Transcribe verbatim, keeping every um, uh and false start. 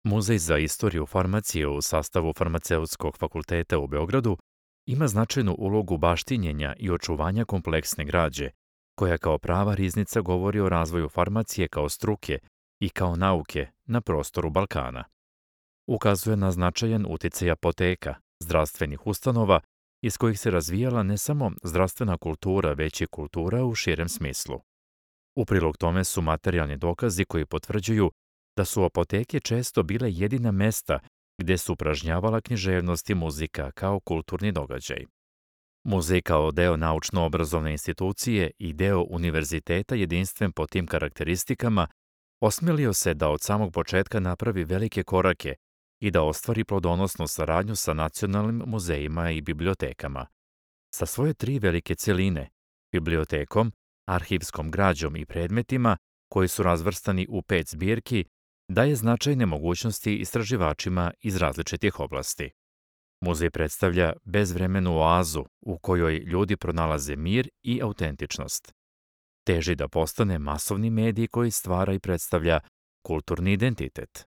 Muzej za istoriju farmacije u sastavu Farmaceutskog fakulteta u Beogradu ima značajnu ulogu baštinjenja i očuvanja kompleksne građe, koja kao prava riznica govori o razvoju farmacije kao struke i kao nauke na prostoru Balkana. Ukazuje na značajan uticaj apoteka, zdravstvenih ustanova, iz kojih se razvijala ne samo zdravstvena kultura, već i kultura u širem smislu. U prilog tome su materijalni dokazi koji potvrđuju da su apoteke često bile jedina mesta gde su upražnjavala književnost i muzika kao kulturni događaj. Muzej kao deo naučno-obrazovne institucije i deo univerziteta jedinstven po tim karakteristikama osmelio se da od samog početka napravi velike korake i da ostvari plodonosnu saradnju sa nacionalnim muzejima i bibliotekama. Sa svoje tri velike celine, bibliotekom, arhivskom građom i predmetima koji su razvrstani u pet zbirki, daje značajne mogućnosti istraživačima iz različitih oblasti. Muzej predstavlja bezvremenu oazu u kojoj ljudi pronalaze mir i autentičnost. Teži da postane masovni medij koji stvara i predstavlja kulturni identitet.